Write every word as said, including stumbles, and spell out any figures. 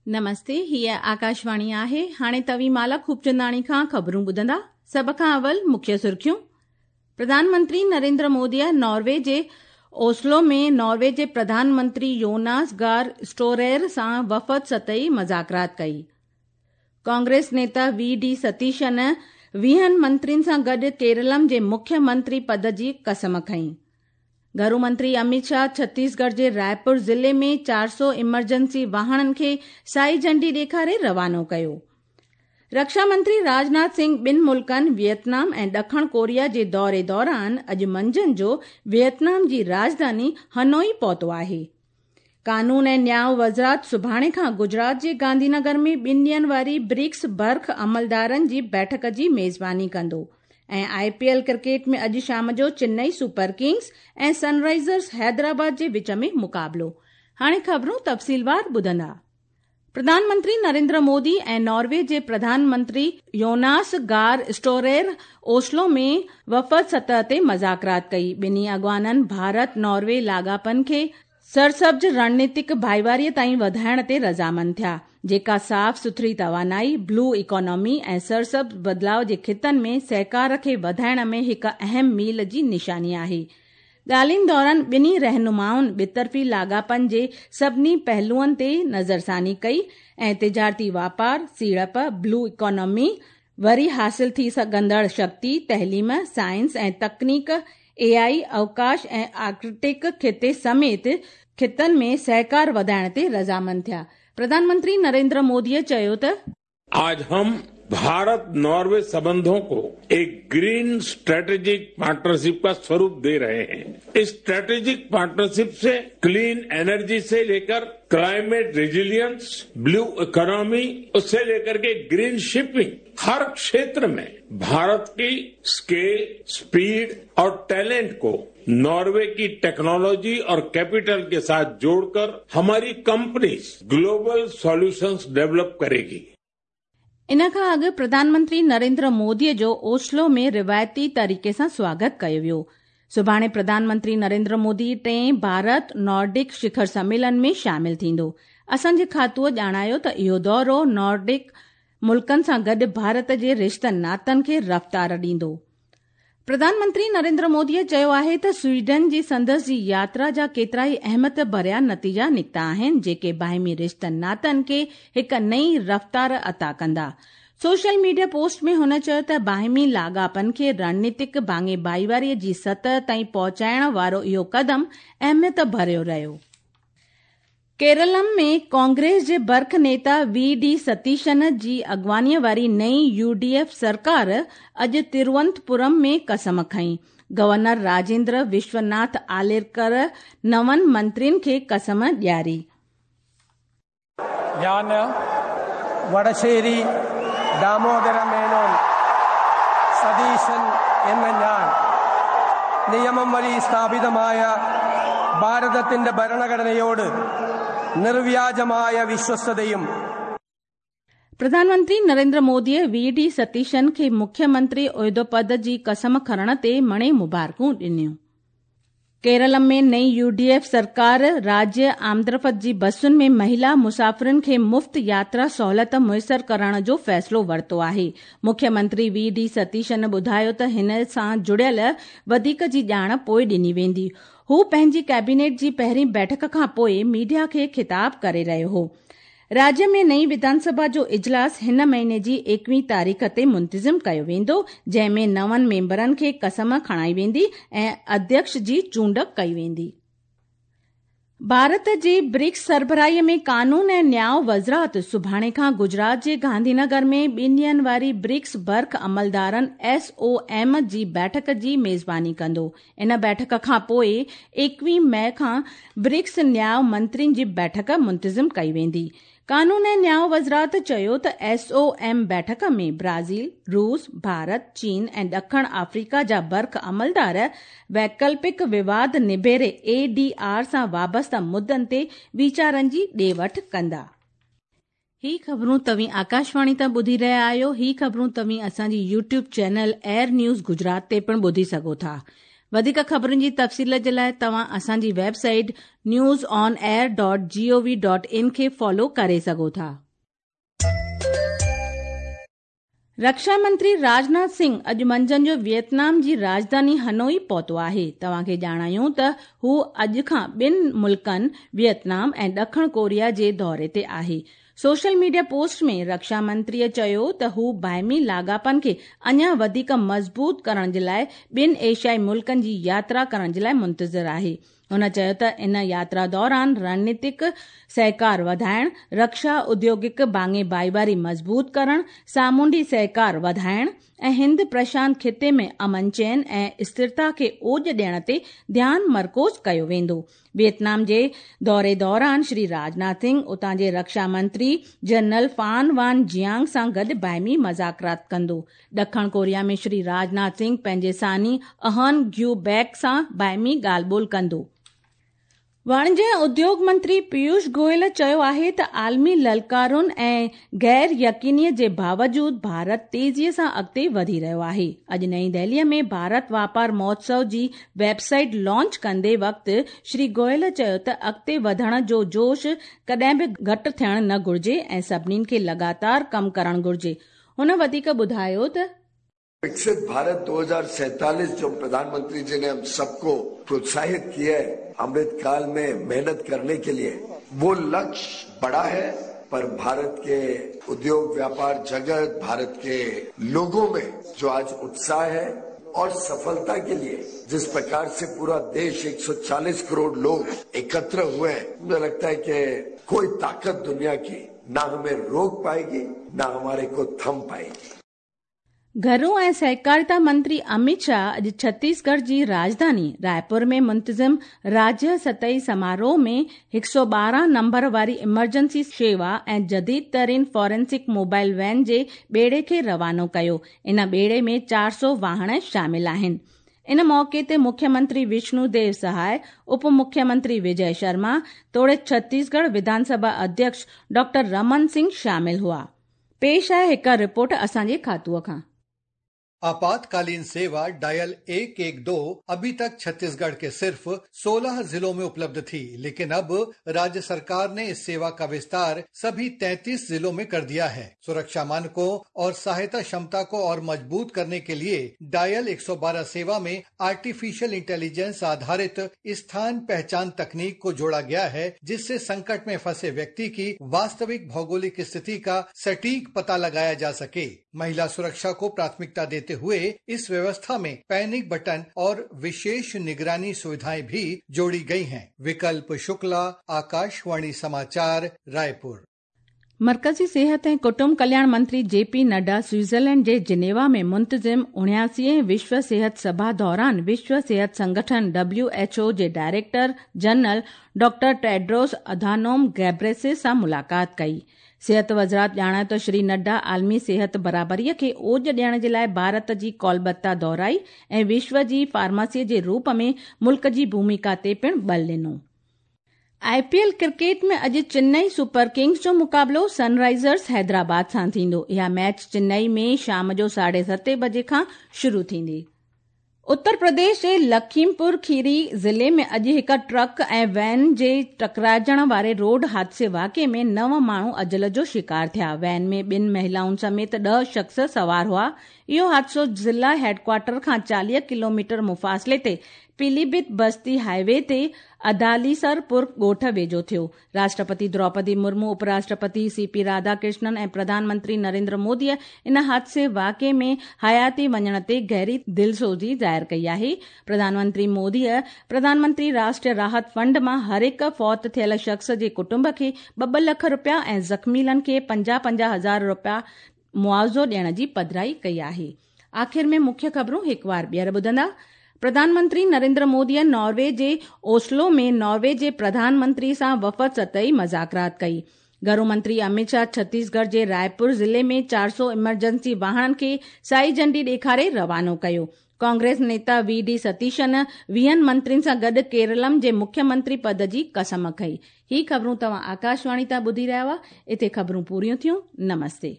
نمستي، هيءَ آڪاشواڻي آهي. هاڻي توهين مالا خوبچنداڻي کان خبرون ٻڌندا. سڀ کان اول مکيه سرخيون. پرڌان منتري نريندر موديءَ ناروي جي اوسلو ۾ ناروي جي پرڌان منتري يوناس گار اسٽورير سان وفد سطحي مذاڪرات ڪئي. ڪانگريس نيتا وي ڊي ستيشن ويهن منترين سان گڏ ڪيرلم جي مکيه منتري پد جي قسم کنئي. گهرو منتري امت شاهه ڇتيسڳڙهه جي رائپور ضلعي ۾ چار سؤ ايمرجنسي واهڻن کي سائي جهنڊي ڏيکاري روانو ڪيو. رڪشا منتري راجناٿ سنگهه ٻن ملڪن ويٽنام ۽ ڏکڻ ڪوريا جي دوري دوران اڄ منجهند جو ويٽنام جي راڄڌاني هنوئي پهتو آهي. قانون ۽ نياءُ وزارت سڀاڻي کان گجرات جي گانڌي نگر ۾ ٻن ڏينهن واري برڪس برک عملدارن جي بيٺڪ جي ميزباني ڪندو. ۽ آءِ پي ايل ڪرڪيٽ ۾ اڄ شام جو چنئي سپر ڪنگز ۽ سن رائيزرز حيدرآباد جي وچ ۾ مقابلو. هاڻي خبرون تفصيلوار ٻڌندا. پرڌان منتري نريندر مودي ۽ ناروي جي پرڌان منتري يوناس گار اسٽورير اوسلو ۾ وفد سطح تي مذاڪرات ڪئي. ٻنهي اڳواڻن ڀارت ناروي لاڳاپن کي سرسبز رڻنيتڪ ڀائيواري تائين وڌائڻ تي رضامند ٿيا، جيڪا صاف سٿري توانائي، بلو اڪانامي ۽ سرسبز بدلاءُ جي خطن ۾ سهڪار کي وڌائڻ ۾ هڪ اهم ميل جي نشاني آهي. ڳالهين دوران ٻنهي رهنمائن ٻطرفي لاڳاپن جي سڀني پهلوئن تي نظرثاني ڪئي ۽ تجارتي واپار، سيڙپ، بلو اڪانامي، وري حاصل ٿي سگهندڙ شڪتي، تعليم، سائنس ۽ تڪنيڪ، اي آئي، اوڪاش ۽ آرڪٽڪ خطي سميت خطن ۾ سهڪار وڌائڻ تي رضامند ٿيا. پرڌان منتري نريندر موديءَ چيو ته آج هم भारत नॉर्वे संबंधों को एक ग्रीन स्ट्रेटेजिक पार्टनरशिप का स्वरूप दे रहे हैं। इस स्ट्रेटेजिक पार्टनरशिप से क्लीन एनर्जी से लेकर क्लाइमेट रेजिलियंस, ब्लू इकोनॉमी, उससे लेकर के ग्रीन शिपिंग, हर क्षेत्र में भारत की स्केल, स्पीड और टैलेंट को नॉर्वे की टेक्नोलॉजी और कैपिटल के साथ जोड़कर हमारी कंपनीज ग्लोबल सॉल्यूशंस डेवलप करेगी। इन खां अॻु प्रधानमंत्री नरेंद्र मोदीअ जो ओस्लो में रिवायती तरीक़े सां स्वागत कयो वियो। सुभाणे प्रधानमंत्री नरेंद्र मोदी टें भारत नॉर्डिक शिखर सम्मेलन में शामिल थींदो। असांजे खातूअ ॼाणायो त इहो दौरो नॉर्डिक मुल्कनि सां गॾु भारत जे रिश्तनि नातनि खे रफ़्तार ॾींदो। प्रधानमंत्री नरेंद्र मोदीअ चयो आहे त स्वीडन जी संदसि जी यात्रा जा केतिरा ई अहमियत भरिया नतीजा निकिता आहिनि, जेके बाहिमी रिश्तनि नातनि खे हिकु नई रफ़्तार अता कंदा। सोशल मीडिया पोस्ट में हुन चयो त बाहिमी लाॻापनि खे रणनीतिक भाङे भाईवारीअ जी सतह ताईं पहुचाइण वारो इहो क़दम अहमियत भरियो रहियो। केरलम में कांग्रेस जे बर्ख नेता वी डी सतीशन जी अॻवानीअ वारी नई यू डी एफ सरकार अॼु तिरुवनंतपुरम में कसम खई। गवर्नर राजेंद्र विश्वनाथ आलेरकर नवनि मंत्रियुनि खे कसम ॾियारी। ഞാൻ വടശ്ശേരി ദാമോദര മേനോൻ സതീശൻ എന്ന ഞാൻ നിയമം വഴി സ്ഥാപിതമായ ഭാരതത്തിന്റെ ഭരണഘടനയോട് നിർവ്യാജമായ വിശ്വസ്തതയും. प्रधानमंत्री नरेंद्र मोदीअ वी डी सतीशन खे मुख्यमंत्री उहिदो पद जी कसम खणण ते मणे मुबारकूं ॾिनियूं। केरल में नई यू डी एफ सरकार राज्य आमदरफ़्त जी बसुनि में महिला मुसाफ़िरुनि खे मुफ़्त यात्रा सहूलियत मुयसर करण जो फ़ैसिलो वरितो आहे। मुख्यमंत्री वी डी सतीशन ॿुधायो त हिन सां जुड़ियल वधीक जी ॼाण पोइ ॾिनी वेंदी। हू पंहिंजी कैबिनेट जी पहिरीं बैठक खां पोइ मीडिया खे ख़िताब करे रहियो हो। राज्य में नई विधानसभा जो इजलास हिन महीने जी एकवीं तारीख़ ते मुंतज़िम कयो वेंदो, जंहिं में नवनि मेंबरनि खे कसम खणाई वेंदी ऐं अध्यक्ष जी चूंड कई वेंदी। भारत जी ब्रिक्स सरबराहीअ में कानून ऐं न्याय वज़ारत सुभाणे खां गुजरात जे गांधीनगर में ॿिनि ॾींहंनि वारी ब्रिक्स बर्ख अमलदारनि एस ओ एम जी बैठक जी मेज़बानी कंदो। इन बैठक खां पोइ एकवीह मई खां ब्रिक्स न्याय मंत्रियुनि जी बैठक मुंतज़िम कई वेंदी। कानून ऐं न्याय वज़ारत चयो त एस ओ एम बैठक में ब्राज़ील, रूस, भारत, चीन ऐं ॾखण आफ्रीका जा बर्ख अमलदार वैकल्पिक विवाद निबेरे ए डी आर सां वाबस्ता मुद्दनि ते वीचारनि जी ॾे वठि कंदा। ही ख़बरूं तव्हीं आकाशवाणी तां ॿुधी रहिया आहियो। ही ख़बरूं तव्हीं असांजी YouTube channel air news Gujarat ते पिणु ॿुधी सघो था। वधीक ख़बरुनि जी तफ़सील जे लाइ तव्हां असांजी website news on air dot G O V dot in खे फॉलो करे सघो था। रक्षा मंत्री राजनाथ सिंह अॼु मंझंदि जो वियतनाम जी राजधानी हनोई पहुतो आहे। तव्हांखे ॼाणायूं त हू अॼु खां ॿिनि मुल्कनि वियतनाम ऐं ॾखण कोरिया जे दौरे ते आहे। सोशल मीडिया पोस्ट में रक्षा मंत्रीअ चयो त हू बाहिमी लाॻापनि खे अञा वधीक मज़बूत करण जे लाइ ॿिनि एशियाई मुल्कनि जी यात्रा करण जे लाइ मुंतज़िर आहे। हुन चयो त इन यात्रा दौरान रणनीतिक सहकार वधाइण, रक्षा उद्योगिक भाङे भाईवारी मज़बूत करण, सामुंडी सहकार वधाइण ऐं हिंद प्रशांत ख़िते में अमन चैन ऐं स्थिरता खे ओज ॾियण ते ध्यानु मरकूज़ कयो वेंदो। वियतनाम जे दौरे दौरान श्री राजनाथ सिंह उतां जे रक्षा मंत्री जनरल फान वान जियांग सां गॾु बाहिमी मज़ाकरात कंदो। ॾखण कोरिया में श्री राजनाथ सिंह पंहिंजे सानी अहन ग्यू बैक सां बाहिमी ॻाल्हि ॿोल कंदो। वाणिज्य ऐं उद्योग मंत्री पीयूष गोयल चयो आहे त आलमी ललकारुनि ऐं गैर यकीनीअ जे बावजूद भारत तेज़ीअ सां अॻिते वधी रहियो आहे। अॼु नई दिल्लीअ में भारत वापार महोत्सव जी वेबसाइट लॉन्च कंदे वक़्तु श्री गोयल चयो त अॻिते वधण जो जोश कॾहिं बि घटि थियणु न घुर्जे ऐं सभिनीनि खे लगातार कमु करणु घुर्जे। हुन वधीक ॿुधायो त विकसित भारत दो हजार सैतालीस जो प्रधानमंत्री जी ने हम सबको प्रोत्साहित किया है अमृत काल में मेहनत करने के लिए, वो लक्ष्य बड़ा है, पर भारत के उद्योग व्यापार जगत, भारत के लोगों में जो आज उत्साह है और सफलता के लिए जिस प्रकार से पूरा देश एक सौ चालीस करोड़ लोग एकत्र हुए हैं, मुझे लगता है कि कोई ताकत दुनिया की ना हमें रोक पाएगी ना हमारे को थम पाएगी। घरू ऐं सहकारिता मंत्री अमित शाह अॼु छत्तीसगढ़ जी राजधानी रायपुर में मुंतज़िम राज्य सतही समारोह में हिकु सौ ॿारहं नंबर वारी इमरजेंसी शेवा ऐं जदीद तरीन फॉरेंसिक मोबाइल वैन जे ॿेड़े खे रवानो कयो। इन ॿेड़े में चारि सौ वाहण शामिल आहिनि। इन मौक़े ते मुख्यमंत्री विष्णु देव सहाय, उप मुख्यमंत्री विजय शर्मा तोड़े छत्तीसगढ़ विधानसभा अध्यक्ष डॉक्टर रमन सिंह शामिल हुआ। पेश आहे हिकु रिपोर्ट असांजे खातूअ खां। आपातकालीन सेवा डायल एक एक दो अभी तक छत्तीसगढ़ के सिर्फ सोलह जिलों में उपलब्ध थी, लेकिन अब राज्य सरकार ने इस सेवा का विस्तार सभी तैंतीस जिलों में कर दिया है। सुरक्षा मानकों और सहायता क्षमता को और मजबूत करने के लिए डायल एक सौ बारह सेवा में आर्टिफिशियल इंटेलिजेंस आधारित स्थान पहचान तकनीक को जोड़ा गया है, जिससे संकट में फंसे व्यक्ति की वास्तविक भौगोलिक स्थिति का सटीक पता लगाया जा सके। महिला सुरक्षा को प्राथमिकता देते हुए इस व्यवस्था में पैनिक बटन और विशेष निगरानी सुविधाएं भी जोड़ी गई हैं। विकल्प शुक्ला, आकाशवाणी समाचार, रायपुर। मरकज़ी सेहत ऐं कुटुंब कल्याण मंत्री जे पी नड्डा स्विट्ज़रलैंड जे जिनेवा में मुंतज़िम उणियासीअ विश्व सेहत सभा दौरान विश्व सेहत संगठन डब्ल्यू एच ओ जे director general doctor Tedros Adhanom Ghebreyesus सां मुलाक़ात कई। सेहत वज़ारत ॼाणायो त श्री नड्डा आलमी सेहत बराबरीअ खे ओज ॾियण जे लाइ भारत जी कोलबत्ता दोहराई ऐं विश्व जी फार्मेसीअ जे रूप में मुल्क जी भूमिका ते पिणु बल ॾिनो। I P L cricket में अॼु चेन्नई सुपर किंग्स जो मुक़ाबिलो सनराइज़र्स हैदराबाद सां थींदो। इहा मैच चेन्नई में शाम जो साढे सते बजे खां शुरू थींदी। उत्तर प्रदेश जे लखीमपुर खीरी ज़िले में अॼु हिकु ट्रक ऐं वैन जे टकराइजण वारे रोड हादसे वाक़िए में नव माण्हू अजल जो शिकार थिया। वैन में ॿिनि महिलाउनि समेत ॾह शख़्स सवार हुआ। इहो हादसो ज़िला हेडक्वार्टर खां चालीह किलोमीटर मुफ़ासिले ते पीलीभीत बस्ती हाईवे ते अदालीसरपुर ॻोठ वेझो थियो। राष्ट्रपति द्रौपदी मुर्मू, उपराष्ट्रपति सी पी राधाकृष्णन ऐं प्रधानमंत्री नरेंद्र मोदीअ इन हादसे वाक़िए में हयाती वञण ते गहरी दिलसोज़ी ज़ाहिर कई आहे। प्रधानमंत्री मोदीअ प्रधानमंत्री राष्ट्रीय राहत फंड मां हर हिकु फौत थियल शख़्स जे कुटुंब खे ॿ ॿ लख रुपया ऐं ज़ख़्मीलनि खे पंजाह पंजाह हज़ार रुपया मुआवज़ो ॾियण जी पधराई कई आहे। आख़िर में मुख्य ख़बरूं हिकु वार ॿीहर ॿुधंदा। प्रधानमंत्री नरेंद्र मोदीअ नॉर्वे जे ओस्लो में नॉर्वे जे प्रधानमंत्री सां वफ़द सतही मज़ाकरात कई। घरू मंत्री अमित शाह छत्तीसगढ़ जे रायपुर ज़िले में चारि सौ इमरजेंसी वाहणनि खे साई झंडी ॾेखारे रवानो कयो। कांग्रेस नेता we D Satheesan वीहनि मंत्रियुनि सां गॾु केरलम जे मुख्यमंत्री पद जी कसम खई। ही ख़बरूं तव्हां आकाशवाणी तां ॿुधी रहिया हुआ। हिते ख़बरूं पूरियूं थियूं। नमस्ते।